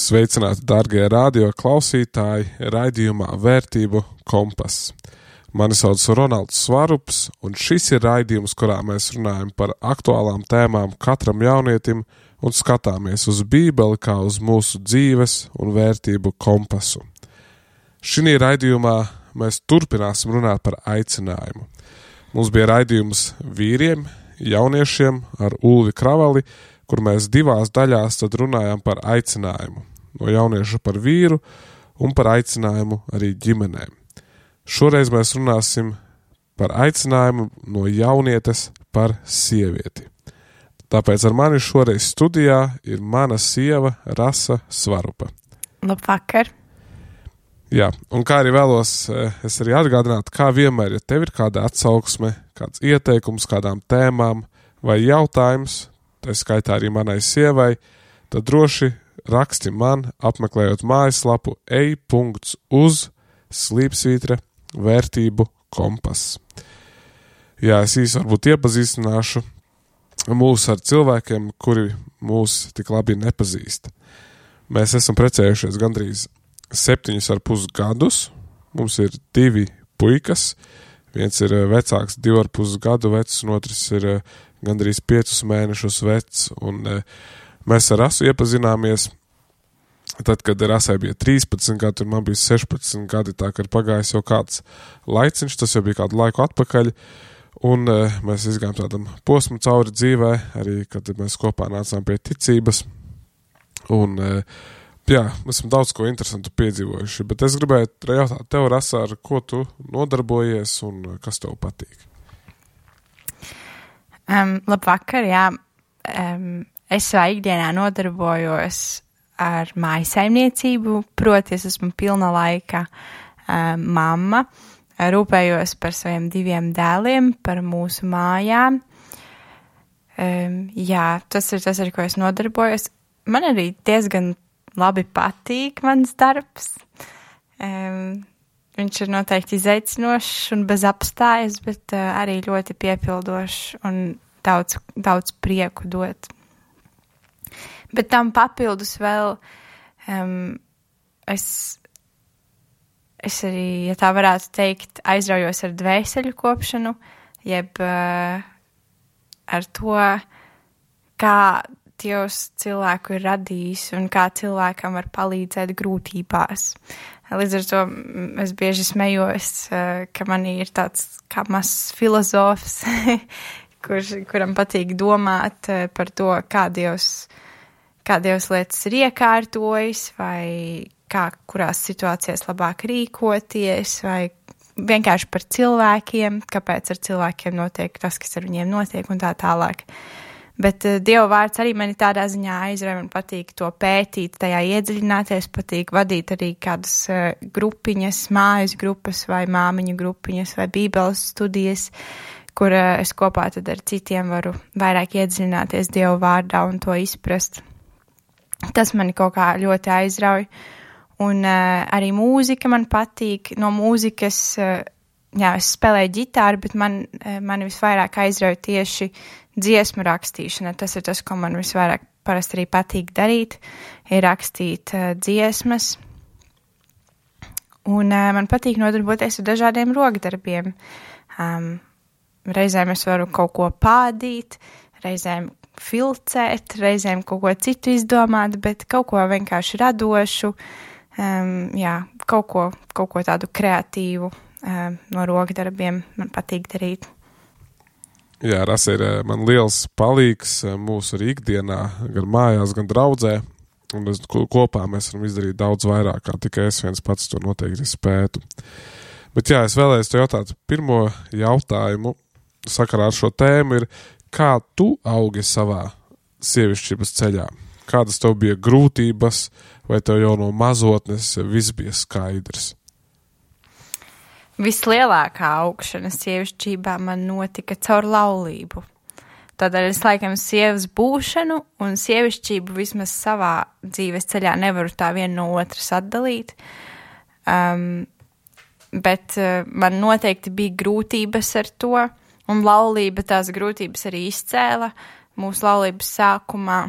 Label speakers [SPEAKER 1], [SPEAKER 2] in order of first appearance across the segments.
[SPEAKER 1] Sveicināti, dārgie radio klausītāji, raidījumā Vērtību kompass. Mani sauc Ronalds Svarups, un šis ir raidījums, kurā mēs runājam par aktuālām tēmām katram jaunietim un skatāmies uz Bībeli kā uz mūsu dzīves un vērtību kompasu. Šī raidījumā mēs turpināsim runāt par aicinājumu. Mums bija raidījums vīriem, jauniešiem ar Ulvi Kravali, kur mēs divās daļās tad runājām par aicinājumu. No jaunieša par vīru un par aicinājumu arī ģimenēm. Šoreiz mēs runāsim par aicinājumu no jaunietes par sievieti. Tāpēc ar mani šoreiz studijā ir mana sieva Rasa Svarupa.
[SPEAKER 2] Labvakar!
[SPEAKER 1] Jā, un kā arī vēlos es arī atgādināt, kā vienmēr, ja tev ir kāda atsauksme, kāds ieteikums kādām tēmām vai jautājums, tā skaitā arī manai sievai, tad droši raksti man, apmeklējot mājaslapu ej.uz/vērtību kompass. Jā, es īsi varbūt iepazīstināšu mūs ar cilvēkiem, kuri mūs tik labi nepazīst. Mēs esam precējušies gandrīz 7,5 gadus. Mums ir 2 puikas. Viens ir vecāks, 2,5 gadu vecs, un otrs ir gandrīz 5 mēnešus vecs. Un mēs ar Rasu iepazināmies tad, kad Rasai bija 13 gadi, un man bija 16 gadi, tā kā ir pagājis jau kāds laiciņš, tas jau bija kādu laiku atpakaļ. Un mēs izgājām tādam posmu cauri dzīvē, arī kad mēs kopā nācām pie ticības. Un jā, esam daudz ko interesantu piedzīvojuši, bet es gribēju jautāt tev, Rasa, ar ko tu nodarbojies un kas tev patīk?
[SPEAKER 2] Labvakar, jā. Es savā ikdienā nodarbojos ar mājasaimniecību, proti es esmu pilna laika mamma, rūpējos par saviem 2 dēliem, par mūsu mājām. Jā, tas ir tas, ar ko es nodarbojos. Man arī diezgan labi patīk mans darbs. Viņš ir noteikti izaicinošs un bez apstājas, bet arī ļoti piepildošs un daudz prieku dot. Bet tam papildus vēl es arī, ja tā varētu teikt, aizraujos ar dvēseļu kopšanu, jeb ar to, kā Dievs cilvēku ir radījis un kā cilvēkam var palīdzēt grūtībās. Līdz ar to es bieži smejos, ka manī ir tāds kā mazs filozofs, kuram patīk domāt par to, kā Dievs lietas ir iekārtojis, vai kurās situācijās labāk rīkoties, vai vienkārši par cilvēkiem, kāpēc ar cilvēkiem notiek tas, kas ar viņiem notiek un tā tālāk. Bet Dieva vārds arī mani tādā ziņā aizrauj, man patīk to pētīt, tajā iedziļināties, patīk vadīt arī kādas grupiņas, mājas grupas vai māmiņu grupiņas vai bībeles studijas, kur es kopā tad ar citiem varu vairāk iedziļināties Dieva vārdā un to izprast. Tas mani kaut kā ļoti aizrauj. Un arī mūzika man patīk. No mūzikas, jā, es spēlēju ģitāru, bet mani visvairāk aizrauj tieši dziesmu rakstīšana. Tas ir tas, ko man visvairāk parasti arī patīk darīt, ir rakstīt dziesmas. Un man patīk nodarboties ar dažādiem rokdarbiem. Reizēm es varu kaut ko pādīt, reizēm filcēt, reizēm kaut ko citu izdomāt, bet kaut ko vienkārši radošu, jā, kaut ko tādu kreatīvu no rokdarbiem man patīk darīt.
[SPEAKER 1] Jā, Rasa ir man liels palīgs mūsu arī ikdienā, gan mājās, gan draudzē, un kopā mēs varam izdarīt daudz vairāk, kā tikai es viens pats to noteikti spētu. Bet jā, es vēlējos te jautāt, pirmo jautājumu sakarā ar šo tēmu ir, kā tu augi savā sievišķības ceļā? Kādas tev bija grūtības, vai tev jau no mazotnes viss bija skaidrs?
[SPEAKER 2] Vislielākā augšana sievišķībā man notika caur laulību. Tādēļ es laikam sievas būšanu un sievišķību vismaz savā dzīves ceļā nevaru tā viena no otras atdalīt. Bet man noteikti bija grūtības ar to, un laulība tās grūtības arī izcēla. Mūsu laulības sākumā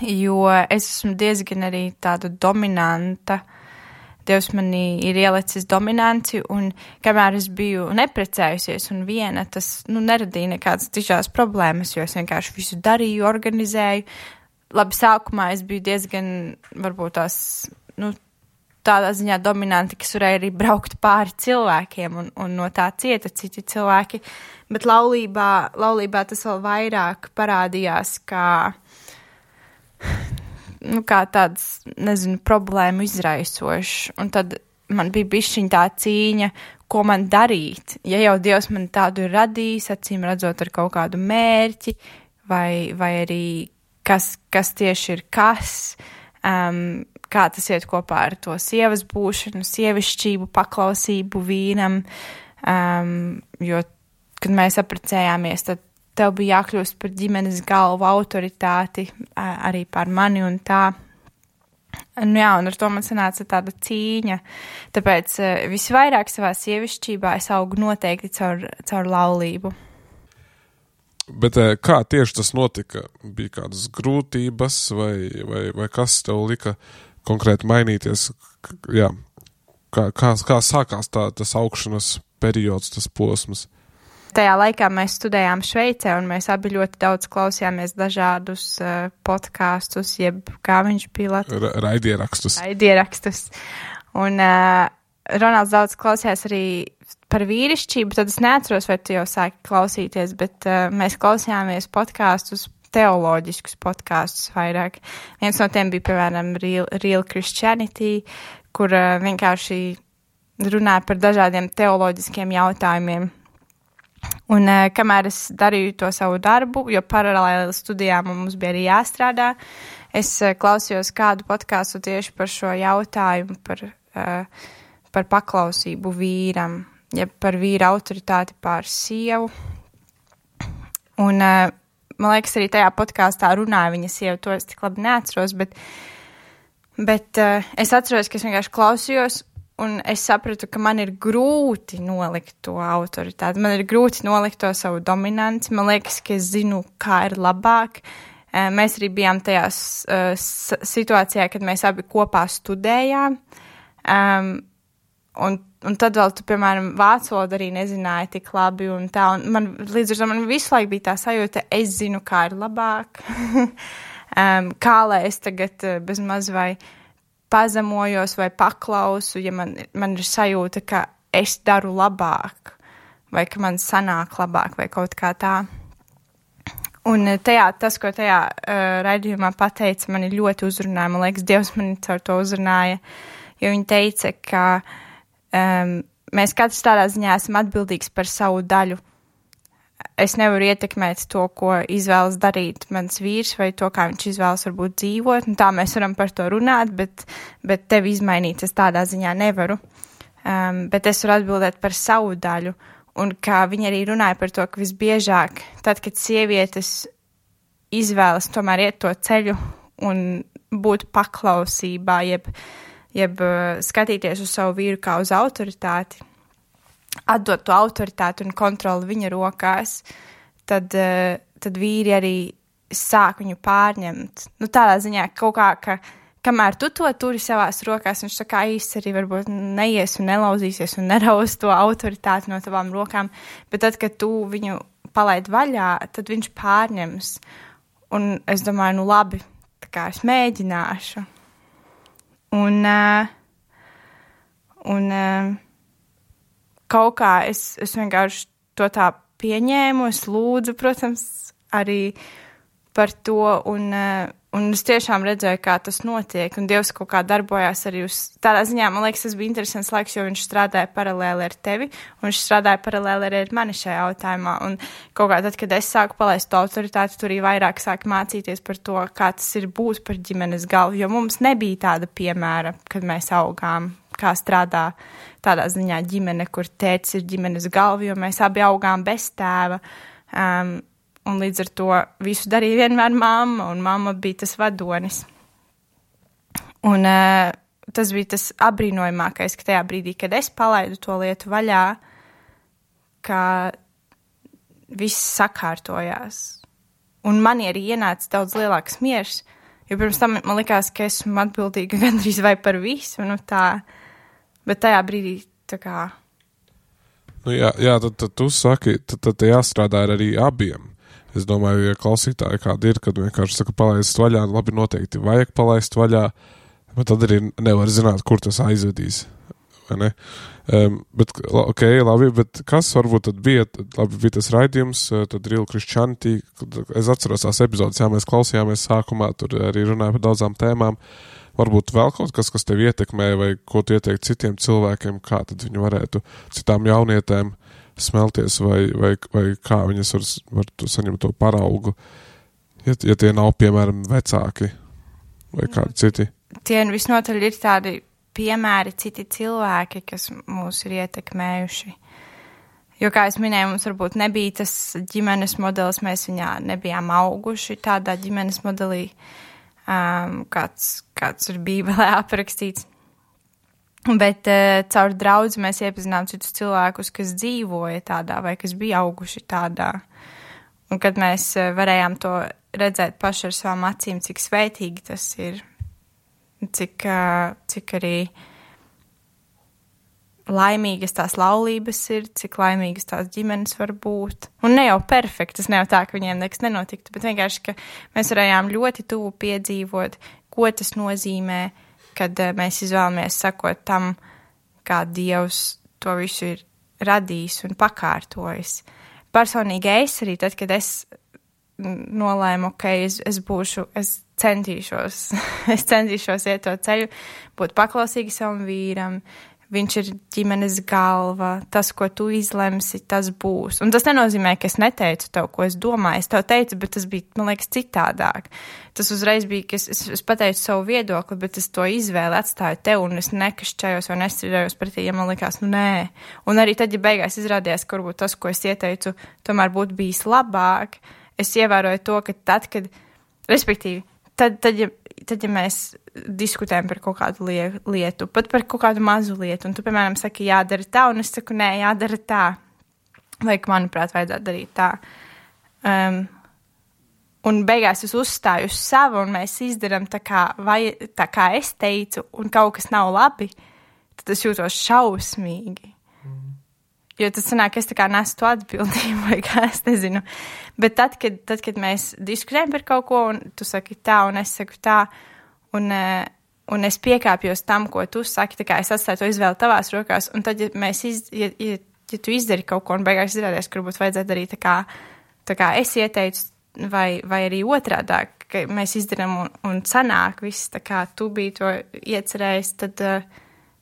[SPEAKER 2] jo es esmu diezgan arī tāda dominanta. Dievs manī ir ielicis dominanci, un kamēr es biju neprecējusies un viena, tas neradīja nekādas tiešās problēmas, jo es vienkārši visu darīju, organizēju. Labi, sākumā es biju diezgan, varbūt tās, tādā ziņā dominanti, kas varēja arī braukt pāri cilvēkiem, un no tā cieta citi cilvēki, bet laulībā tas vēl vairāk parādījās, kā tāds, problēmu izraisošs. Un tad man bija bišķiņ tā cīņa, ko man darīt. Ja jau Dievs man tādu ir radījis, acīm redzot ar kaut kādu mērķi, vai arī kas tieši ir kas, kā tas iet kopā ar to sievas būšanu, sievišķību, paklausību vīnam, jo, kad mēs apprecējāmies, tad tev bija jākļūst par ģimenes galvu autoritāti arī par mani un tā. Un ar to man sanāca tāda cīņa. Tāpēc visvairāk savā sievišķībā es augu noteikti caur laulību.
[SPEAKER 1] Bet kā tieši tas notika? Bija kādas grūtības vai kas tev lika konkrēti mainīties? Jā. Kā sākās tas augšanas periods, tas posms?
[SPEAKER 2] Tajā laikā mēs studējām Šveicē, un mēs abi ļoti daudz klausījāmies dažādus podkāstus, jeb kā viņš bija
[SPEAKER 1] Raidierakstus.
[SPEAKER 2] Un Ronalds daudz klausījās arī par vīrišķību, tad es neatceros, vai tu jau sāki klausīties, bet mēs klausījāmies podkāstus, teoloģiskus podkāstus vairāk. Viens no tiem bija, piemēram, Real Christianity, kur vienkārši runāja par dažādiem teoloģiskiem jautājumiem. Un kamēr es darīju to savu darbu, jo paralēli studijām mums bija arī jāstrādā, es klausījos kādu podkāstu tieši par šo jautājumu, par paklausību vīram, ja par vīra autoritāti pār sievu. Un man liekas, arī tajā podkāstā runāja viņa sieva, to es tik labi neatceros, bet es atceros, ka es vienkārši klausījos, un es sapratu, ka man ir grūti nolikt to autoritāti. Man ir grūti nolikt to savu dominanci. Man liekas, ka es zinu, kā ir labāk. Mēs arī bijām tajā situācijā, kad mēs abi kopā studējām. Un tad vēl tu, piemēram, vācu valodu arī nezināji tik labi un tā. Un man, līdz ar to man visu laiku bija tā sajūta, es zinu, kā ir labāk. Kā lai es tagad bez maz vai pazemojos vai paklausu, ja man ir sajūta, ka es daru labāk, vai ka man sanāk labāk, vai kaut kā tā. Un tas, ko tajā raidījumā pateica, mani ļoti uzrunāja. Man liekas, Dievs mani caur to uzrunāja, jo viņa teica, ka mēs katrs tādā ziņā esam atbildīgs par savu daļu. Es nevaru ietekmēt to, ko izvēlas darīt mans vīrs, vai to, kā viņš izvēlas varbūt dzīvot, un tā mēs varam par to runāt, bet tevi izmainīt es tādā ziņā nevaru. Bet es varu atbildēt par savu daļu, un kā viņa arī runāja par to, ka visbiežāk, tad, kad sievietes izvēlas tomēr iet to ceļu un būt paklausībā, jeb skatīties uz savu vīru kā uz autoritāti, atdot to autoritāti un kontroli viņa rokās, tad vīri arī sāk viņu pārņemt. Tādā ziņā kaut kā, ka kamēr tu to turi savās rokās, viņš tā kā īsti arī varbūt neies un nelauzīsies un neraus to autoritāti no tavām rokām, bet tad, kad tu viņu palaid vaļā, tad viņš pārņems. Un es domāju, labi, tā kā es mēģināšu. Un kaut kā es vienkārši to tā pieņēmu, es lūdzu, protams, arī par to, un es tiešām redzēju, kā tas notiek, un Dievs kaut kā darbojās arī uz tādā ziņā, man liekas, tas bija interesants laiks, jo viņš strādāja paralēli ar tevi, un viņš strādāja paralēli arī ar mani šajā jautājumā, un kaut kā tad, kad es sāku palaist to autoritāti, tur arī vairāk sāku mācīties par to, kā tas ir būt par ģimenes galvu, jo mums nebija tāda piemēra, kad mēs augām, kā strādā tādā ziņā ģimene, kur tētis ir ģimenes galva, jo mēs abi augām bez tēva, un līdz ar to visu darīja vienmēr mamma, un mamma bija tas vadonis. Un tas bija tas apbrīnojamākais, ka tajā brīdī, kad es palaidu to lietu vaļā, ka viss sakārtojās. Un man arī ienāca daudz lielāks miers, Jo pirms tam man likās, ka esmu atbildīga gandrīz vai par visu, tā, bet tajā brīdī tā kā...
[SPEAKER 1] Tad tu saki, tad jāstrādā ar arī abiem. Es domāju, ja klausītāji kādi ir, kad vienkārši saka palaist vaļā, labi noteikti vajag palaist vaļā, bet tad arī nevar zināt, kur tas aizvedīs. Vai ne? Bet, labi, bet kas varbūt tad bija tas raidījums, tad Real Christianity, es atceros tās epizodes, mēs klausījāmies sākumā, tur arī runāja par daudzām tēmām, varbūt vēl kaut kas tev ietekmē, vai ko tu ieteikt citiem cilvēkiem, kā tad viņi varētu citām jaunietēm smelties, vai kā viņas var saņemt to paraugu, ja tie nav, piemēram, vecāki vai kādi citi.
[SPEAKER 2] Tie visnotaļ ir tādi piemēri, citi cilvēki, kas mūs ir ietekmējuši. Jo, kā es minēju, mums varbūt nebija tas ģimenes modelis, mēs viņā nebijām auguši tādā ģimenes modelī, kāds ir Bībelē aprakstīts. Bet caur draudzi mēs iepazinām citus cilvēkus, kas dzīvoja tādā vai kas bija auguši tādā. Un kad mēs varējām to redzēt paši ar savām acīm, cik svētīgi tas ir, cik arī laimīgas tās laulības ir, cik laimīgas tās ģimenes var būt. Un ne jau perfektas, ne jau tā, ka viņiem nekas nenotiktu, bet vienkārši, ka mēs varējām ļoti tuvu piedzīvot, ko tas nozīmē, kad mēs izvēlamies sakot tam, kā Dievs to visu ir radījis un pakārtojis. Personīgi es arī, tad, kad es nolēmu, es centīšos iet to ceļu, būt paklausīgi savam vīram, viņš ir ģimenes galva, tas, ko tu izlemsi, tas būs. Un tas nenozīmē, ka es neteicu tev, ko es domāju, es tev teicu, bet tas bija, man liekas, citādāk. Tas uzreiz bija, ka es pateicu savu viedokli, bet es to izvēli atstāju tev, un es nekašķējos vai nestrīdējos pretī, ja man likās, nē. Un arī tad, ja beigās izrādījās, ka varbūt tas, ko es ieteicu, tomēr būtu bijis labāk, es ievēroju to, ka tad, kad, respektīvi, tad, ja mēs diskutējam par kaut kādu lietu, pat par kaut kādu mazu lietu, un tu, piemēram, saki, jādara tā, un es saku, nē, jādara tā, vai, manuprāt, vajadzētu darīt tā. Un beigās es uzstāju uz savu, un mēs izdaram tā kā es teicu, un kaut kas nav labi, tad es jūtos šausmīgi. Jo tas sanāk, es tā kā nesu to atbildību, vai kā, es nezinu. Bet tad, kad mēs diskutējam par kaut ko, un tu saki tā, un es saku tā, un es piekāpjos tam, ko tu saki, tā kā es atstāju to izvēli tavās rokās, un tad, ja tu izdari kaut ko, un beigās izrādās, ka varbūt vajadzētu darīt tā kā es ieteicu, vai arī otrādāk, ka mēs izdaram un sanāk viss, tā kā tu biji to iecerējis, tad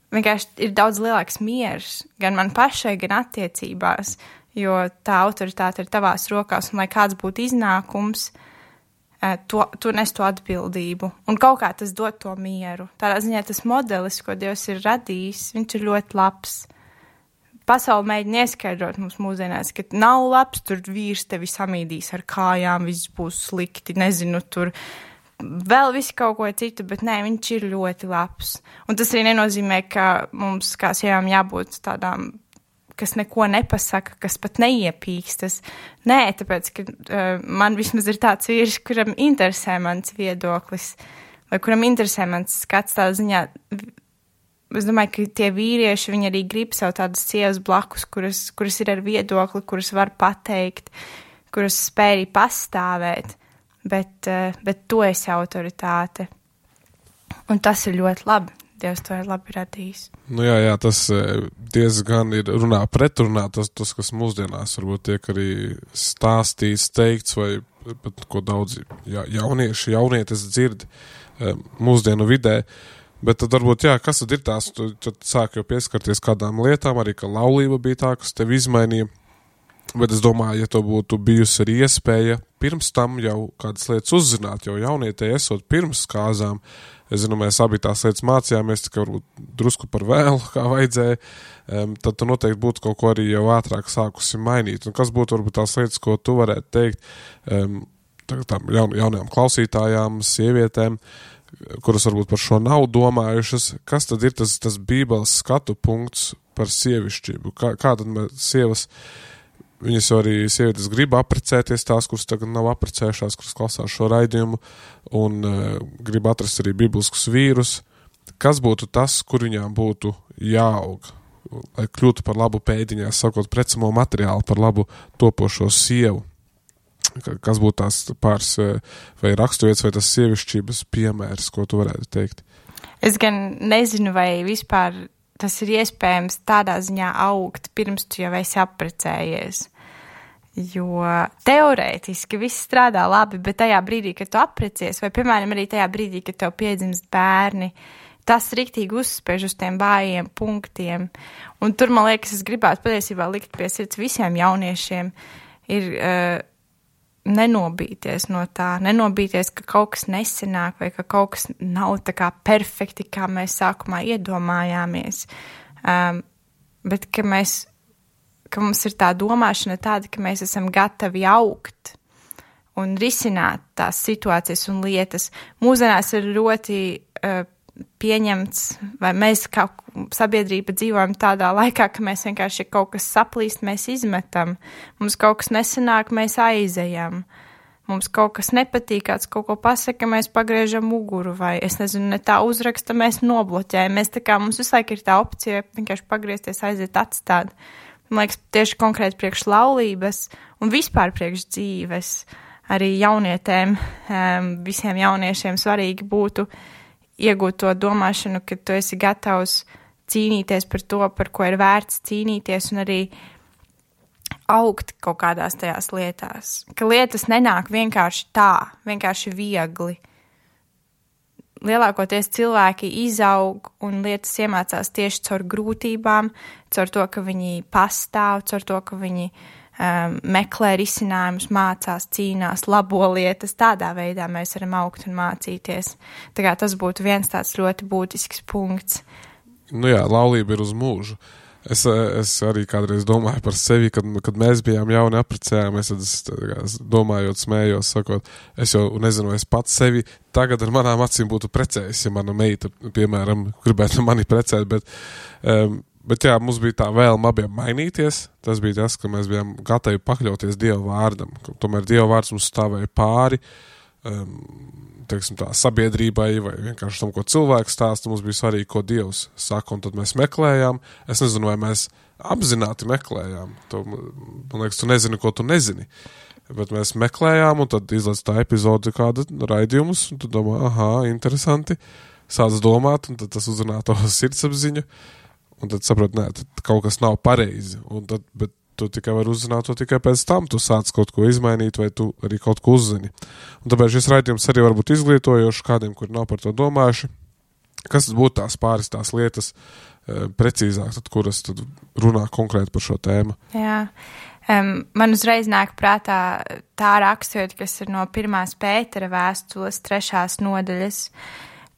[SPEAKER 2] vienkārši ir daudz lielāks miers, gan man pašai, gan attiecībās, jo tā autoritāte ir tavās rokās, un lai kāds būtu iznākums, tu nes to atbildību. Un kaut kā tas dod to mieru. Tādā ziņā tas modelis, ko Dievs ir radījis, viņš ir ļoti labs. Pasauli mēģina ieskaidrot mums mūsdienās, ka nav labs, tur vīrs tevi samīdīs ar kājām, viss būs slikti, nezinu, tur vēl visi kaut ko citu, bet nē, viņš ir ļoti labs. Un tas arī nenozīmē, ka mums kā sievām jābūt tādām, kas neko nepasaka, kas pat neiepīkstas. Nē, tāpēc, ka man vismaz ir tāds vīrs, kuram interesē mans viedoklis, vai kuram interesē mans skats tādā ziņā. Es domāju, ka tie vīrieši, viņi arī grib sev tādas sievas blakus, kuras ir ar viedokli, kuras var pateikt, kuras spēj arī pastāvēt. Bet tu esi autoritāte. Un tas ir ļoti labi. Dievs to ir labi radījis.
[SPEAKER 1] Nu jā, tas diezgan ir pretrunā tas, kas mūsdienās varbūt tiek arī stāstīts, teikts, vai pat ko daudzi jaunietis dzird mūsdienu vidē. Bet tad varbūt, kas tad ir tās, tad sāk jau pieskarties kādām lietām, arī ka laulība bija tā, kas tevi izmainīja. Bet es domāju, ja to būtu bijusi arī iespēja pirms tam jau kādas lietas uzzināt, jau jaunietē esot pirms kāzām, es zinu, mēs abi tās lietas mācījāmies, tikai varbūt drusku par vēlu, kā vajadzēja, tad tu noteikti būtu kaut ko arī jau ātrāk sākusi mainīt. Un kas būtu varbūt tās lietas, ko tu varētu teikt tām jaunajām klausītājām, sievietēm, kuras varbūt par šo nav domājušas, kas tad ir tas Bībeles skatu punkts par sievišķību? Kā tad sievas viņas jau arī sievietes grib apprecēties, tās, kuras tagad nav apprecējušās, kuras klausās šo raidījumu, un grib atrast arī bibliskus vīrus. Kas būtu tas, kur viņām būtu jāaug, lai kļūtu par labu pēdiņā, sakot precamo materiālu, par labu topošo sievu? Kas būtu tās pāris vai raksturvietas, vai tas sievišķības piemērs, ko tu varētu teikt?
[SPEAKER 2] Es gan nezinu, vai vispār tas ir iespējams tādā ziņā augt, pirms tu jau esi apprecējies. Jo teorētiski viss strādā labi, bet tajā brīdī, kad tu apprecies, vai, piemēram, arī tajā brīdī, kad tev piedzimst bērni, tas riktīgi uzspēž uz tiem vājiem punktiem. Un tur, man liekas, es gribētu patiesībā likt pie sirds visiem jauniešiem, ir nenobīties no tā, nenobīties, ka kaut kas nesenāk vai ka kaut kas nav tā kā perfekti, kā mēs sākumā iedomājāmies. Bet ka mums ir tā domāšana tāda, ka mēs esam gatavi augt un risināt tās situācijas un lietas. Mūsdienās ir ļoti pieņemts, vai mēs kā sabiedrība dzīvojam tādā laikā, ka mēs vienkārši kaut kas saplīst, mēs izmetam. Mums kaut kas nesanāk, mēs aizejam. Mums kaut kas nepatīk, kāds kaut ko pasaka, mēs pagriežam muguru, vai es nezinu, ne tā uzraksta, mēs nobloķējam. Mēs tā kā mums visu laiku ir tā opcija vienkārši pagriezties, aiziet, atstāt. Man liekas, tieši konkrēti priekš laulības un vispār priekš dzīves. Arī jaunietēm, visiem jauniešiem svarīgi būtu iegūt to domāšanu, ka tu esi gatavs cīnīties par to, par ko ir vērts cīnīties, un arī augt kaut kādās tajās lietās. Ka lietas nenāk vienkārši tā, vienkārši viegli. Lielākoties cilvēki izaug un lietas iemācās tieši caur grūtībām, caur to, ka viņi pastāv, caur to, ka viņi meklē risinājumus, mācās, cīnās, labo lietas. Tādā veidā mēs varam augt un mācīties. Tā kā tas būtu viens tāds ļoti būtisks punkts.
[SPEAKER 1] Nu jā, laulība ir uz mūžu. Es arī kādreiz domāju par sevi, kad mēs bijām jauni apprecējāmies, tad es domājot, smējos, sakot, es jau nezinu, es pats sevi tagad ar manām acīm būtu precējis, ja mana meita, piemēram, gribētu mani precēt, bet jā, mums bija tā vēlme abiem mainīties. Tas bija tas, ka mēs bijām gatavi pakļauties Dieva vārdam. Tomēr Dieva vārds mums stāvēja pāri, teiksim tā, sabiedrībai vai vienkārši tam, ko cilvēks stāsta. Mums bija svarīgi, ko Dievs saka, un tad mēs meklējām. Es nezinu, vai mēs apzināti meklējām. Man liekas, tu nezini, ko tu nezini. Bet mēs meklējām, un tad izlaiž tā epizode kāda raidījumus, un tu domā, aha, interesanti. Sāc domāt, un tad tas uzrunā to sirdsapziņu. Un tad saprot, nē, tad kaut kas nav pareizi. Bet tu tikai vari uzzināt to tikai pēc tam. Tu sāc kaut ko izmainīt, vai tu arī kaut ko uzzini. Un tāpēc šis raidījums arī var būt izglītojošs kādiem, kuri nav par to domājuši. Kas tad būtu tās lietas precīzāk, tad, kuras tad runā konkrēti par šo tēmu?
[SPEAKER 2] Jā. Man uzreiz nāk prātā tā raksturvieta, kas ir no 1. Pētera vēstules 3. nodaļas,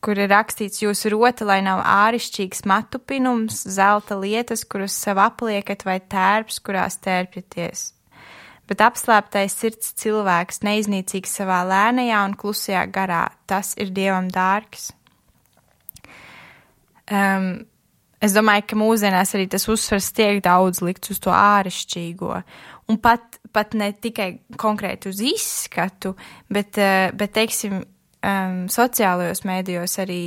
[SPEAKER 2] kur ir rakstīts: jūsu rota, lai nav ārišķīgs matupinums, zelta lietas, kuras sev apliekat, vai tērps, kurās tērpjaties. Bet apslēptais sirds cilvēks, neiznīcīgs savā lēnajā un klusajā garā, tas ir Dievam dārgs. Es domāju, ka mūsdienās arī tas uzsvars tiek daudz likts uz to ārišķīgo. Un pat ne tikai konkrēti uz izskatu, bet teiksim, sociālajos mēdījos arī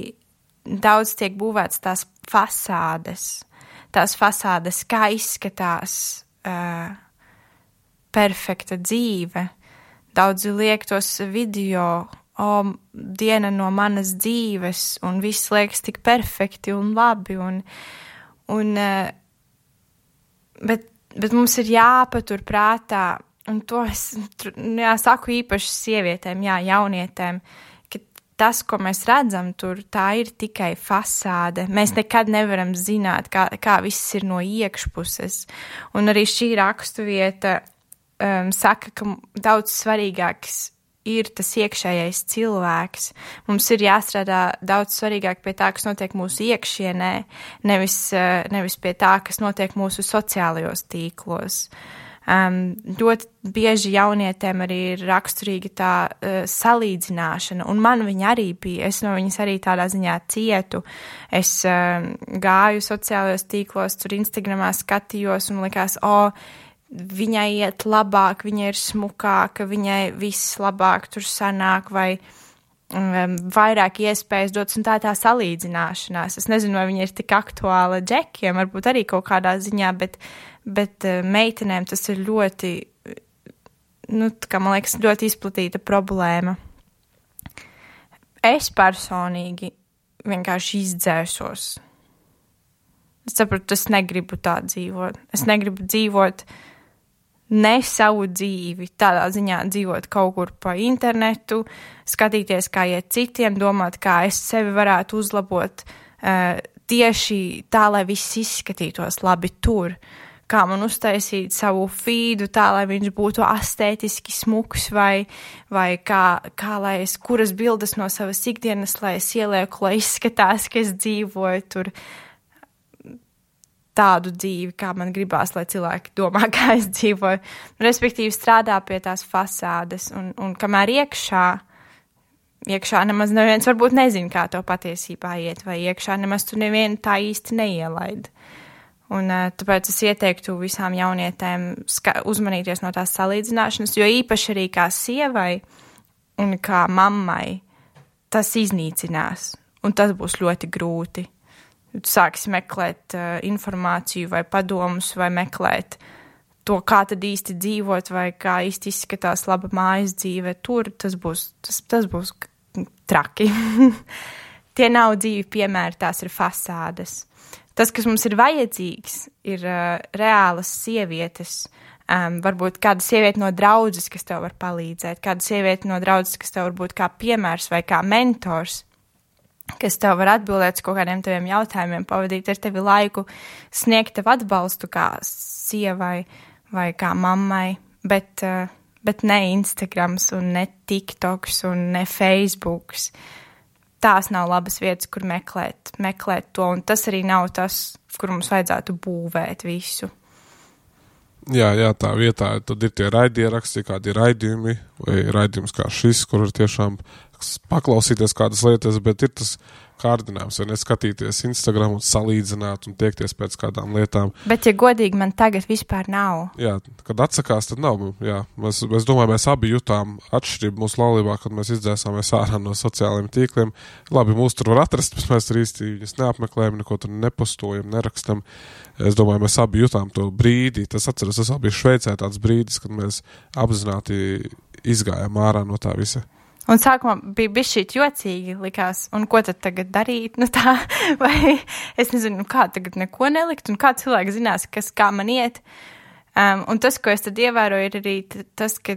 [SPEAKER 2] daudz tiek būvēts tās fasādes, kā izskatās perfekta dzīve. Daudzi liek tos video, diena no manas dzīves, un viss liekas tik perfekti un labi, bet mums ir jāpatur prātā, un to es saku īpaši sievietēm, jaunietēm, tas, ko mēs redzam tur, tā ir tikai fasāde. Mēs nekad nevaram zināt, kā viss ir no iekšpuses. Un arī šī raksturvieta saka, ka daudz svarīgāks ir tas iekšējais cilvēks. Mums ir jāstrādā daudz svarīgāk pie tā, kas notiek mūsu iekšienē, nevis pie tā, kas notiek mūsu sociālajos tīklos. Ļoti bieži jaunietēm arī ir raksturīga tā salīdzināšana, un man viņa arī bija. Es no viņas arī tādā ziņā cietu. Es gāju sociālajos tīklos, tur Instagramā skatījos un likās, viņai iet labāk, viņa ir smukāka, viņai viss labāk tur sanāk, vai vairāk iespējas dots, un tā salīdzināšanās. Es nezinu, vai viņa ir tik aktuāla džekiem, varbūt arī kaut kādā ziņā, bet meitenēm tas ir ļoti, kā man liekas, ļoti izplatīta problēma. Es personīgi vienkārši izdzēsos. Es saprotu, es negribu tā dzīvot. Es negribu dzīvot ne savu dzīvi, tādā ziņā dzīvot kaut kur pa internetu, skatīties, kā iet citiem, domāt, kā es sevi varētu uzlabot tieši tā, lai viss izskatītos labi tur, kā man uztaisīt savu feedu tā, lai viņš būtu astētiski smuks, vai kā lai es, kuras bildes no savas ikdienas, lai es ielieku, lai izskatās, ka es dzīvoju tur tādu dzīvi, kā man gribās, lai cilvēki domā, kā es dzīvoju. Respektīvi strādā pie tās fasādes, un kamēr iekšā nemaz neviens varbūt nezin, kā to patiesībā iet, vai iekšā nemaz tu nevienu tā īsti neielaid. Un tāpēc es ieteiktu visām jaunietēm uzmanīties no tās salīdzināšanas, jo īpaši arī kā sievai un kā mammai tas iznīcinās, un tas būs ļoti grūti. Tu sāksi meklēt informāciju vai padomus, vai meklēt to, kā tad īsti dzīvot, vai kā īsti izskatās laba mājas dzīve. Tur tas būs traki. Tie nav dzīvi piemēri, tās ir fasādes. Tas, kas mums ir vajadzīgs, ir reālas sievietes. Varbūt kāda sieviete no draudzes, kas tev var palīdzēt, kāda sieviete no draudzes, kas tev var būt kā piemērs vai kā mentors, kas tev var atbildēt uz kaut kādiem taviem jautājumiem, pavadīt ar tevi laiku, sniegt tev atbalstu kā sievai vai kā mammai, bet ne Instagrams un ne TikToks un ne Facebooks. Tās nav labas vietas, kur meklēt to, un tas arī nav tas, kur mums vajadzētu būvēt visu.
[SPEAKER 1] Jā, tā vietā, tad ir tie raidieraksti, kādi ir raidījumi, vai raidījums kā šis, kur ir tiešām paklausīties kādas lietas, bet ir tas kārdinājums, vai neskatīties Instagram un salīdzināt un tiekties pēc kādām lietām.
[SPEAKER 2] Bet, ja godīgi, man tagad vispār nav.
[SPEAKER 1] Jā, kad atsakās, tad nav. Jā, mēs domāju, mēs abi jutām atšķirību mūsu laulībā, kad mēs izdzēsāmies ārā no sociālajiem tīkliem. Labi, mūs tur var atrast, bet mēs tur īsti viņus neapmeklējam, neko tur nepostojam, nerakstam. Es domāju, mēs abi jutām to brīdi. Tas bija Šveicē tāds brīdis, kad mēs apzināti izgājām ārā no tā visa.
[SPEAKER 2] Un sākumā bija bišķīt jocīgi likās, un ko tad tagad darīt, tā, vai es nezinu, kā tagad neko nelikt, un kā cilvēki zinās, kā man iet. Un tas, ko es tad ievēroju, ir arī tas, ka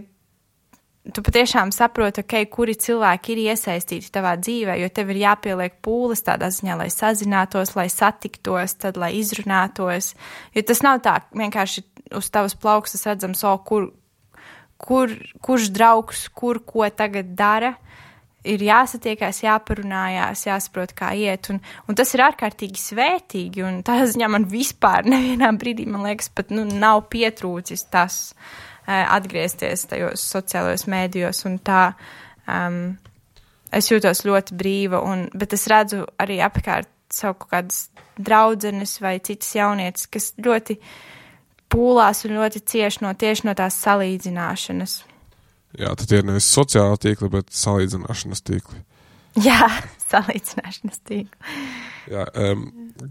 [SPEAKER 2] tu patiešām saproti, kuri cilvēki ir iesaistīti tavā dzīvē, jo tev ir jāpieliek pūles tādā ziņā, lai sazinātos, lai satiktos, tad, lai izrunātos. Jo tas nav tā vienkārši uz tavas plaukstas redzams, kurš draugs, ko tagad dara, ir jāsatiekās, jāparunājās, jāsaprot, kā iet, un tas ir ārkārtīgi svētīgi, un tā ziņā man vispār nevienā brīdī, man liekas, pat nav pietrūcis tas atgriezties tajos sociālajos mēdījos, un tā es jūtos ļoti brīva, bet es redzu arī apkārt savu kaut kādas draudzenes vai citas jaunietes, kas ļoti pūlās un ļoti tieši no tās salīdzināšanas.
[SPEAKER 1] Jā, tad ir nevis sociāla tīkli, bet salīdzināšanas tīkli.
[SPEAKER 2] Jā, salīdzināšanas tīkli.
[SPEAKER 1] Jā,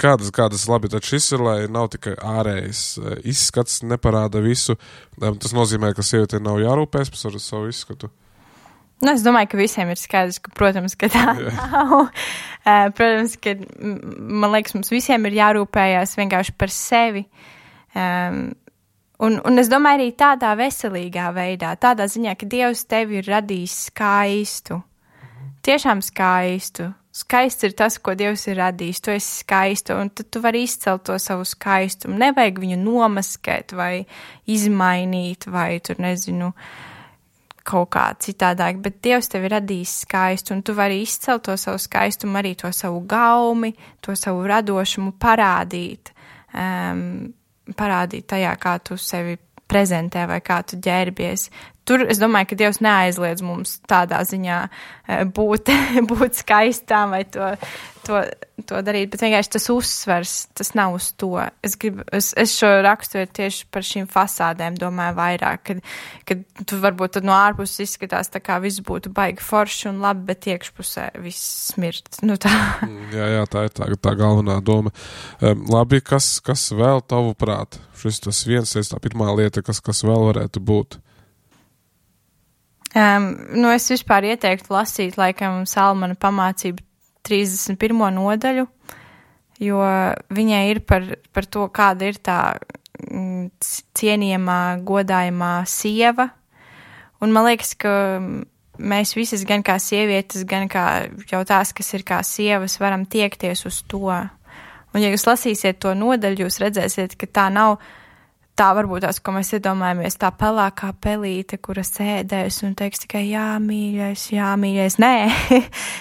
[SPEAKER 1] kādas labi, tad šis ir, lai nav tikai ārējais izskats, neparāda visu. Tas nozīmē, ka sievietē nav jārūpēs par savu izskatu.
[SPEAKER 2] Es domāju, ka visiem ir skaidrs, ka, protams, ka tā nav. Protams, ka, man liekas, mums visiem ir jārūpējās vienkārši par sevi. Un es domāju arī tādā veselīgā veidā, tādā ziņā, ka Dievs tevi ir radījis skaistu. Tiešām skaistu. Skaists ir tas, ko Dievs ir radījis. Tu esi skaistu, un tad tu vari izcelt to savu skaistumu. Nevajag viņu nomaskēt vai izmainīt vai tur, nezinu, kaut kā citādāk, bet Dievs tevi radījis skaistu, un tu vari izcelt to savu skaistumu, arī to savu gaumi, to savu radošumu parādīt. Parādīt tajā, kā tu sevi prezentē vai kā tu ģērbies. tur es domāju, ka Dievs neaizliedz mums tādā ziņā būt skaistām vai to darīt, bet vienkārši tas uzsvers, tas nav uz to. Es šo raksturu tieši par šīm fasādēm domāju vairāk, kad tu varbūt tad no ārpuses izskatās tā kā viss būtu baigi forši un labi, bet iekšpusē viss smirt. Nu tā.
[SPEAKER 1] Jā, tā ir tā galvenā doma. Labi, kas vēl tavuprāt? Šis tas viens, tā pirmā lieta, kas vēl varētu būt?
[SPEAKER 2] Es vispār ieteiktu lasīt, laikam, Salmana pamācību 31. nodaļu, jo viņai ir par to, kāda ir tā cienījamā, godājumā sieva. Un man liekas, ka mēs visas, gan kā sievietes, gan kā jau tās, kas ir kā sievas, varam tiekties uz to. Un ja jūs lasīsiet to nodaļu, jūs redzēsiet, ka tā nav tā varbūt tās, ko mēs iedomājamies, tā pelākā pelīte, kura sēdēs un teiks tikai jā, mīļais. Nē,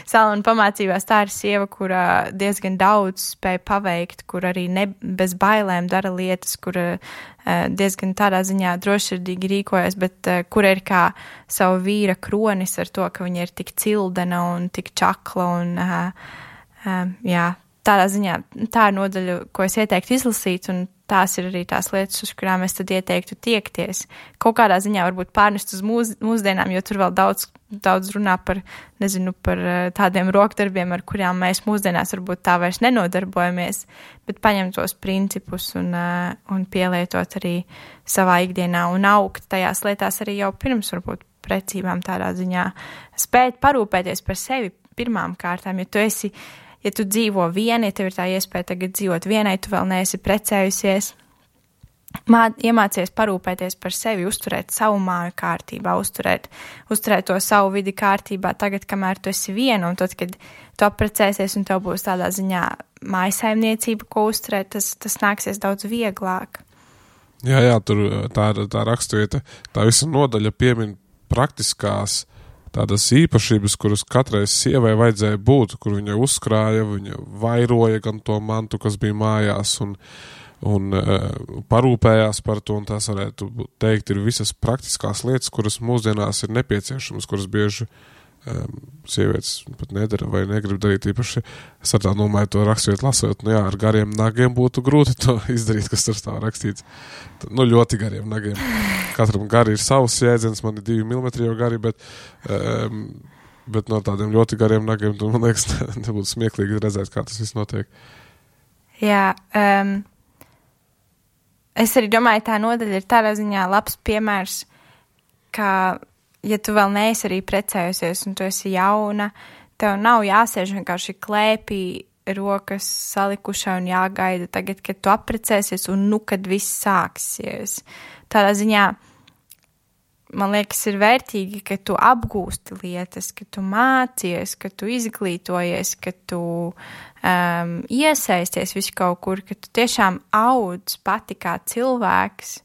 [SPEAKER 2] Salmana pamācībās tā ir sieva, kura diezgan daudz spēja paveikt, kur arī bez bailēm dara lietas, kura diezgan tādā ziņā drošsirdīgi rīkojas, bet kura ir kā savu vīra kronis ar to, ka viņa ir tik cildena un tik čakla un tādā ziņā tā ir nodaļa, ko es ieteiktu izlasīt, un tās ir arī tās lietas, uz kurām es tad ieteiktu tiekties. Kaut kādā ziņā varbūt pārnest uz mūsdienām, jo tur vēl daudz runā par tādiem rokdarbiem, ar kurām mēs mūsdienās varbūt tā vairs nenodarbojamies, bet paņemt tos principus un pielietot arī savā ikdienā un augt tajās lietās arī jau pirms varbūt precībām tādā ziņā. Spēt parūpēties par sevi pirmām kārtām, ja tu dzīvo viena, ja tev ir tā iespēja tagad dzīvot vienai, tu vēl neesi precējusies, iemācies parūpēties par sevi, uzturēt savu māju kārtībā, uzturēt to savu vidi kārtībā tagad, kamēr tu esi viena, un tad, kad tu apprecēsies un tev būs tādā ziņā mājasaimniecība, ko uzturēt, tas nāksies daudz vieglāk.
[SPEAKER 1] Jā, tur tā raksturieta, tā visa nodaļa piemin praktiskās tādas īpašības, kuras katrai sievai vajadzēja būt, kur viņa uzkrāja, viņa vairoja gan to mantu, kas bija mājās, un parūpējās par to, un tās varētu teikt, ir visas praktiskās lietas, kuras mūsdienās ir nepieciešamas, kuras bieži sievietes pat nedara vai negrib darīt īpaši. Es ar tā domāju, to rakstot lasot, ar gariem nagiem būtu grūti to izdarīt, kas tur stāv rakstīts. Ļoti gariem nagiem. Katram gari ir savs jēdziens, man ir 2 mm jau gari, bet no tādiem ļoti gariem nagiem, man liekas, nebūtu smieklīgi redzēt, kā tas viss notiek.
[SPEAKER 2] Jā, es arī domāju, tā nodaļa ir tādā ziņā labs piemērs, ka ja tu vēl neesi arī precējusies un tu esi jauna, tev nav jāsēž vienkārši klēpī rokas salikušā un jāgaida tagad, kad tu apprecēsies un kad viss sāksies. Tādā ziņā, man liekas, ir vērtīgi, ka tu apgūsti lietas, ka tu mācies, ka tu izglītojies, ka tu iesaisties visu kaut kur, ka tu tiešām audz pati kā cilvēks,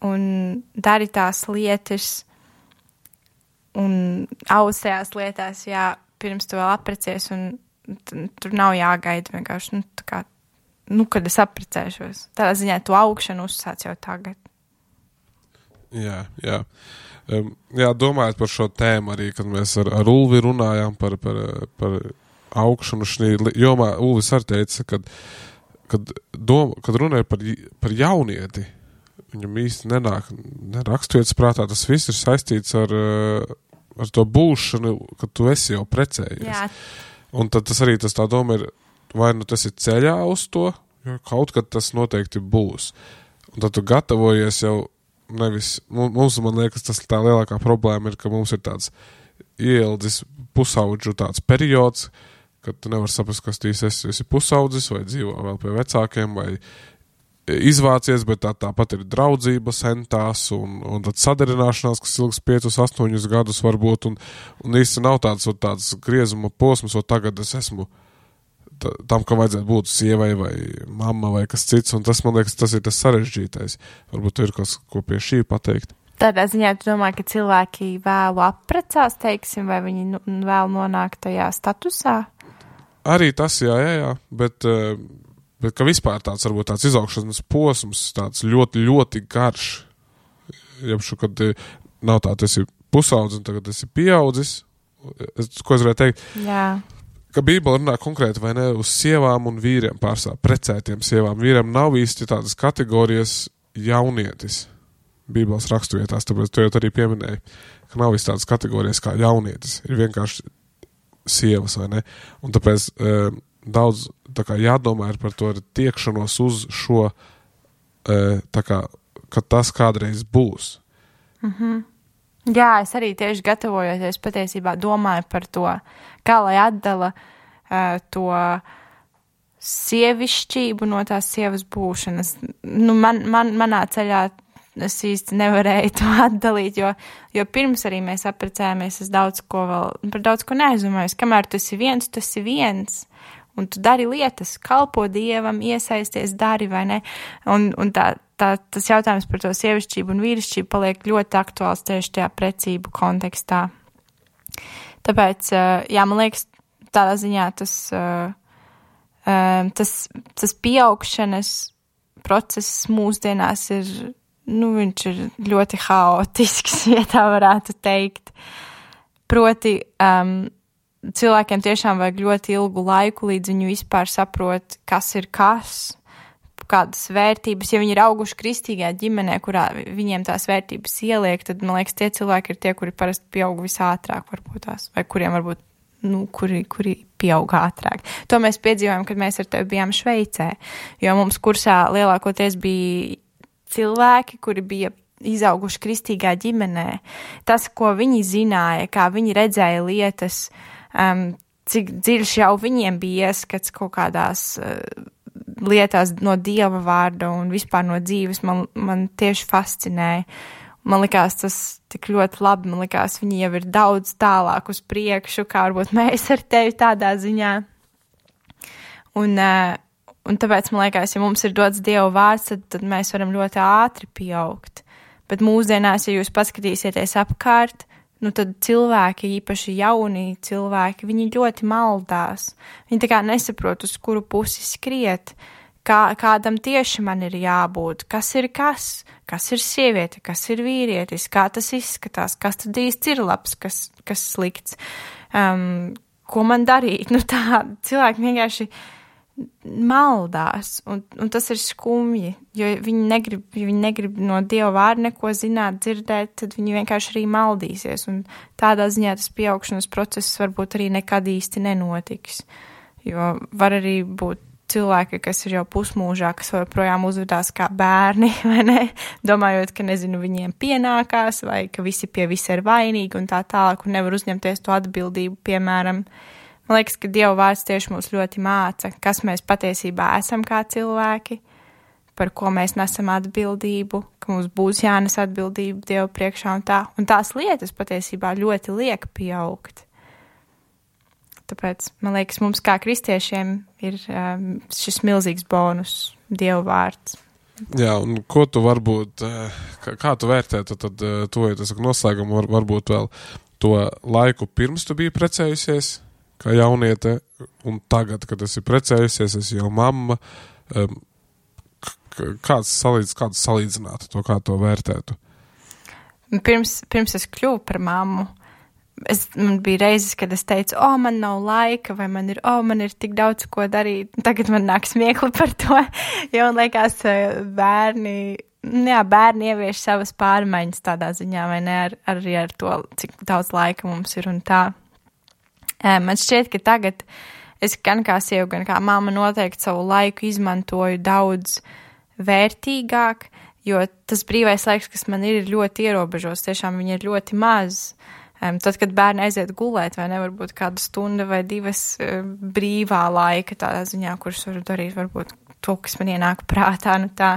[SPEAKER 2] un dari tās lietas un audz tajās lietās, pirms tu vēl apprecies, un tur nav jāgaida vienkārši, kad es apprecēšos. Tādā ziņā tu augšanu uzsāc jau tagad.
[SPEAKER 1] Jā. Domājot par šo tēmu arī, kad mēs ar Ulvi runājām par augšanu šī jomā, Ulvis arī teica, kad runāja par jaunieti, viņam īsti neraksturiets prātā, tas viss ir saistīts ar to būšanu, kad tu esi jau precējies. Jā. Un tad tas arī tā doma ir, vai tas ir ceļā uz to, jo kaut kad tas noteikti būs. Un tad tu gatavojies jau nevis, man liekas, tas tā lielākā problēma ir, ka mums ir tāds ieildzis pusaudžu tāds periods, kad tu nevar saprast, kas tu esi pusaudzis, vai dzīvo vēl pie vecākiem, vai izvācies, bet tāpat ir draudzības entās un tad sadarināšanās, kas ilgs 5-8 gadus varbūt, un īsti nav tāds griezuma posms, o tagad es esmu tam, ka vajadzētu būt sievai vai mamma vai kas cits, un tas, man liekas, tas ir tas sarežģītais. Varbūt ir kas, ko pie šī pateikt.
[SPEAKER 2] Tādā ziņā tu domā, ka cilvēki vēlu apprecās, teiksim, vai viņi vēl nonāk tajā statusā?
[SPEAKER 1] Arī tas, jā, bet ka vispār tāds, varbūt tāds izaugšanas posms, tāds ļoti, ļoti garš, jebšu, kad nav tā, tu esi pusaudz un tagad esi pieaudzis. Ko es varētu teikt?
[SPEAKER 2] Jā.
[SPEAKER 1] Ka Bībele runā konkrēti, vai ne, uz sievām un vīriem pārsvarā, precētiem sievām. Vīriem nav īsti tādas kategorijas jaunietis Bībeles raksturvietās, tāpēc tu jau arī pieminēji, ka nav īsti tādas kategorijas kā jaunietis. Ir vienkārši sievas, vai ne? Un tāpēc daudz tā kā jādomā ir par to tiekšanos uz šo, tā kā, ka tas kādreiz būs.
[SPEAKER 2] Jā, es arī tieši gatavojoties patiesībā domāju par to, kā lai atdala to sievišķību no tās sievas būšanas. Nu, manā ceļā es īsti nevarēju to atdalīt, jo pirms arī mēs apprecējāmies, es par daudz ko neaizdomājos. Kamēr tu esi viens, un tu dari lietas, kalpo Dievam, iesaisties, dari, vai ne? Un tas jautājums par to sievišķību un vīrišķību paliek ļoti aktuāls tieši tajā precību kontekstā. Tāpēc, jā, man liekas, tādā ziņā tas pieaugšanas process mūsdienās ir, viņš ir ļoti haotisks, ja tā varētu teikt. Proti, cilvēkiem tiešām vajag ļoti ilgu laiku, līdz viņi vispār saprot, kas ir kas, kādas vērtības. Ja viņi ir auguši kristīgā ģimenē, kurā viņiem tās vērtības ieliek, tad, man liekas, tie cilvēki ir tie, kuri parasti pieaug visātrāk, varbūt tās, vai kuriem varbūt, kuri pieaug ātrāk. To mēs piedzīvojam, kad mēs ar tevi bijām Šveicē, jo mums kursā lielākoties bija cilvēki, kuri bija izauguši kristīgā ģimenē. Tas, ko viņi zināja, kā viņi redzēja lietas, cik dziļš jau viņiem bija ieskats kaut kādās lietās no Dieva vārda un vispār no dzīves, man tieši fascinēja. Man likās tas tik ļoti labi, man likās viņi jau ir daudz tālāk uz priekšu, kā varbūt mēs ar tevi tādā ziņā. Un tāpēc, man liekas, ja mums ir dots Dieva vārds, tad mēs varam ļoti ātri pieaugt. Bet mūsdienās, ja jūs paskatīsieties apkārt, tad cilvēki, īpaši jauni cilvēki, viņi ļoti maldās. Viņi tā kā nesaprot, uz kuru pusi skriet, kādam tieši man ir jābūt, kas ir sieviete, kas ir vīrietis, kā tas izskatās, kas tad īsti ir labs, kas slikts, ko man darīt. Tā cilvēki vienkārši maldās, un tas ir skumji, jo viņi negrib no Dieva vārda neko zināt, dzirdēt, tad viņi vienkārši arī maldīsies, un tādā ziņā tas pieaugšanas process varbūt arī nekad īsti nenotiks, jo var arī būt cilvēki, kas ir jau pusmūžā, kas joprojām uzvedās kā bērni, vai ne, domājot, ka, viņiem pienākās, vai ka visi pie visa ir vainīgi un tā tālāk, un nevar uzņemties to atbildību, piemēram. Man liekas, ka Dieva vārds tieši mūs ļoti māca, kas mēs patiesībā esam kā cilvēki, par ko mēs nesam atbildību, ka mums būs jānes atbildība Dieva priekšā un tā. Un tās lietas patiesībā ļoti liek pieaugt. Tāpēc, man liekas, mums kā kristiešiem ir šis milzīgs bonus, Dieva vārds.
[SPEAKER 1] Jā, un ko tu varbūt, kā tu vērtētu, tad to, ja tas noslēgumu varbūt vēl to laiku pirms tu biji precējusies, kā jauniete, un tagad, kad esi precējusies, esi jau mamma, kāds salīdzinātu to, kā to vērtētu?
[SPEAKER 2] Pirms es kļuvu par mammu, man bija reizes, kad es teicu, man nav laika, vai man ir tik daudz ko darīt. Tagad man nāk smiekli par to, jo man liekas, bērni ievieš savas pārmaiņas tādā ziņā, vai ne, arī ar to, cik daudz laika mums ir un tā. Man šķiet, ka tagad es gan kā sieva, gan kā mamma noteikti savu laiku izmantoju daudz vērtīgāk, jo tas brīvais laiks, kas man ir ļoti ierobežos, tiešām viņi ir ļoti maz. Tad, kad bērni aiziet gulēt, vai nevar būt kāda stunda vai divas brīvā laika tādā ziņā, kurus varu darīt, varbūt to, kas man ienāk prātā, tā.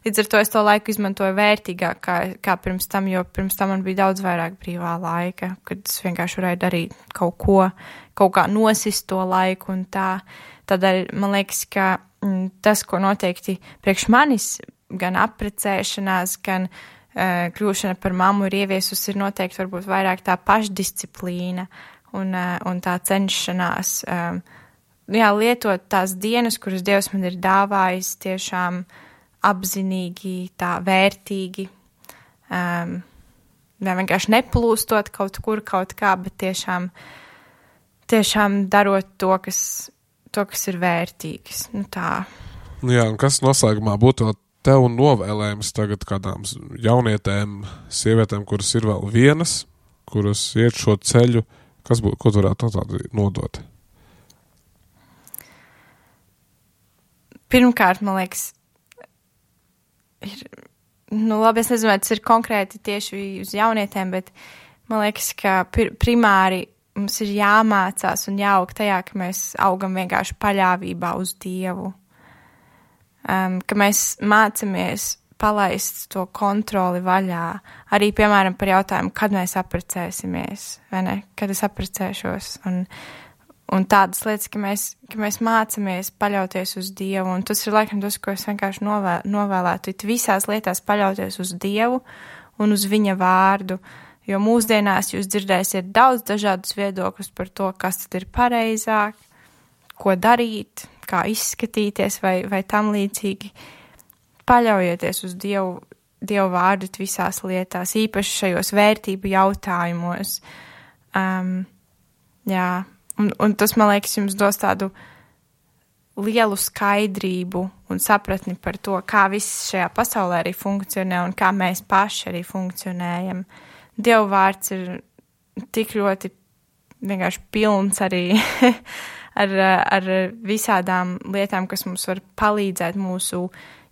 [SPEAKER 2] Līdz ar to es to laiku izmantoju vērtīgāk kā pirms tam, jo pirms tam man bija daudz vairāk brīvā laika, kad es vienkārši varēju darīt kaut kā nosist to laiku un tā. Tādēļ man liekas, ka tas, ko noteikti priekš manis, gan apprecēšanās, gan kļūšana par mammu ir ieviesusi, ir noteikti varbūt vairāk tā pašdisciplīna un tā cenšanās lietot tās dienas, kuras Dievs man ir dāvājis tiešām apzinīgi, tā vērtīgi, vienkārši neplūstot kaut kur, kaut kā, bet tiešām darot to, kas ir vērtīgs. Tā.
[SPEAKER 1] Jā, un kas noslēgumā būtu tev novēlējums tagad kādām jaunietēm, sievietēm, kuras ir vēl vienas, kuras iet šo ceļu, ko tu varētu tādu nodot?
[SPEAKER 2] Pirmkārt, man liekas, labi, es nezinu, vai tas ir konkrēti tieši uz jaunietēm, bet man liekas, ka primāri mums ir jāmācās un jāaug tajā, ka mēs augam vienkārši paļāvībā uz Dievu. Ka mēs mācamies palaist to kontroli vaļā. Arī, piemēram, par jautājumu, kad mēs apprecēsimies, vai ne? Kad es apprecēšos. Un tādas lietas, ka mēs mācamies paļauties uz Dievu. Un tas ir laikam tas, ko es vienkārši novēlētu. Visās lietās paļauties uz Dievu un uz viņa vārdu. Jo mūsdienās jūs dzirdēsiet daudz dažādus viedokļus par to, kas tad ir pareizāk, ko darīt, kā izskatīties vai tam līdzīgi. Paļaujieties uz Dievu vārdu visās lietās, īpaši šajos vērtību jautājumos. Jā, un tas, man liekas, jums dos tādu lielu skaidrību un sapratni par to, kā viss šajā pasaulē arī funkcionē un kā mēs paši arī funkcionējam. Dievu vārds ir tik ļoti vienkārši pilns arī ar visādām lietām, kas mums var palīdzēt mūsu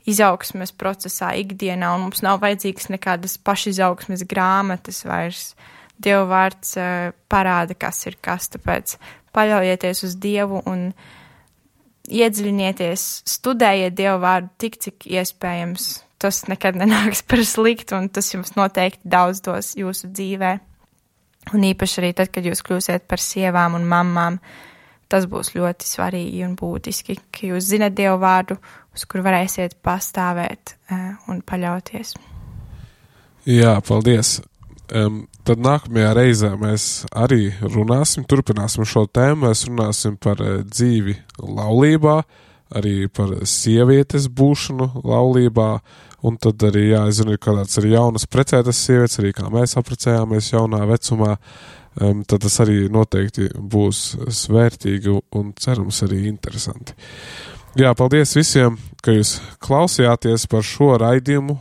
[SPEAKER 2] izaugsmes procesā ikdienā, un mums nav vajadzīgas nekādas pašizaugsmes grāmatas vairs. Dievu vārds parāda, kas ir kas, tāpēc paļaujieties uz Dievu un iedziļinieties, studējiet Dievu vārdu tik, cik iespējams. Tas nekad nenāks par sliktu, un tas jums noteikti daudz dos jūsu dzīvē. Un īpaši arī tad, kad jūs kļūsiet par sievām un mammām, tas būs ļoti svarīgi un būtiski, ka jūs zinat Dievu vārdu, uz kur varēsiet pastāvēt un paļauties.
[SPEAKER 1] Jā, paldies. Tad nākamajā reizē mēs arī turpināsim šo tēmu, mēs runāsim par dzīvi laulībā, arī par sievietes būšanu laulībā, un tad arī, es zinu, kādāds arī jaunas precētas sievietes, arī kā mēs apprecējāmies jaunā vecumā, tad tas arī noteikti būs svērtīgi un cerams arī interesanti. Jā, paldies visiem, ka jūs klausījāties par šo raidījumu,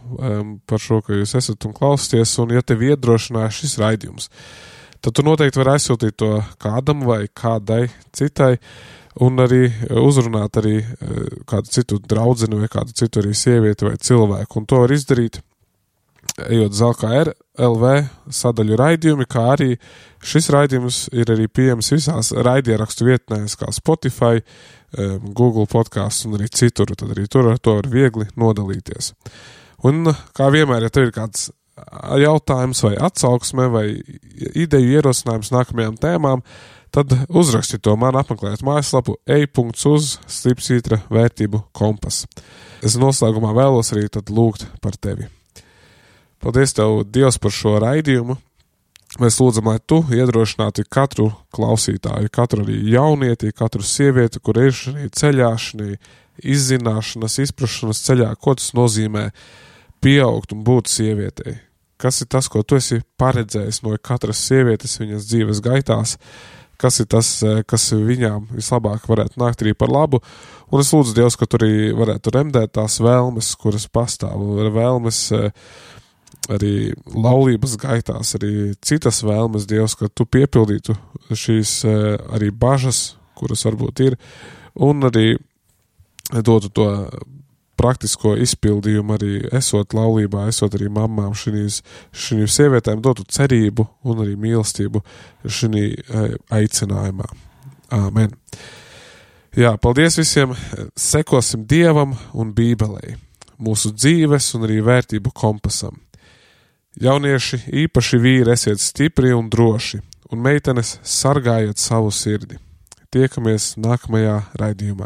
[SPEAKER 1] par šo, ka jūs esat un klausāties, un ja tevi iedrošināja šis raidījums, tad tu noteikti vari aizsūtīt to kādam vai kādai citai, un arī uzrunāt arī kādu citu draudzeni vai kādu citu arī sievieti vai cilvēku. Un to var izdarīt, ejot ZLKR LV sadaļu raidījumi, kā arī šis raidījums ir arī pieejams visās raidierakstu vietnēs, kā Spotify, Google podcasts un arī citur. Tad arī tur ar to var viegli nodalīties. Un kā vienmēr, ja tev ir kāds jautājums vai atsauksme vai ideju ierosinājums nākamajām tēmām, tad uzraksti to man, apmeklēt mājaslapu ej.uz/slipsvītra vērtību kompas. Es noslēgumā vēlos arī tad lūgt par tevi. Paldies tev, Dievs, par šo raidījumu. Mēs lūdzam, lai tu iedrošinātu katru klausītāju, katru arī jaunieti, katru sievieti, kur ir šī ceļā, šī izzināšanas, izprašanas ceļā, ko tas nozīmē pieaugt un būt sievietei. Kas ir tas, ko tu esi paredzējis no katras sievietes viņas dzīves gaitās, kas ir tas, kas viņām vislabāk varētu nākt arī par labu. Un es lūdzu, Dievs, ka tu arī varētu remdēt tās vēlmes, kuras pastāv, vēlmes arī laulības gaitās, arī citas vēlmes, Dievs, ka tu piepildītu šīs arī bažas, kuras varbūt ir, un arī dotu to praktisko izpildījumu arī esot laulībā, esot arī mammām šīm sievietēm, dotu cerību un arī mīlestību šī aicinājumā. Āmen. Jā, paldies visiem, sekosim Dievam un Bībelei, mūsu dzīves un arī vērtību kompasam. Jaunieši, īpaši vīri, esiet stipri un droši, un meitenes sargājiet savu sirdi. Tiekamies nākamajā raidījumā.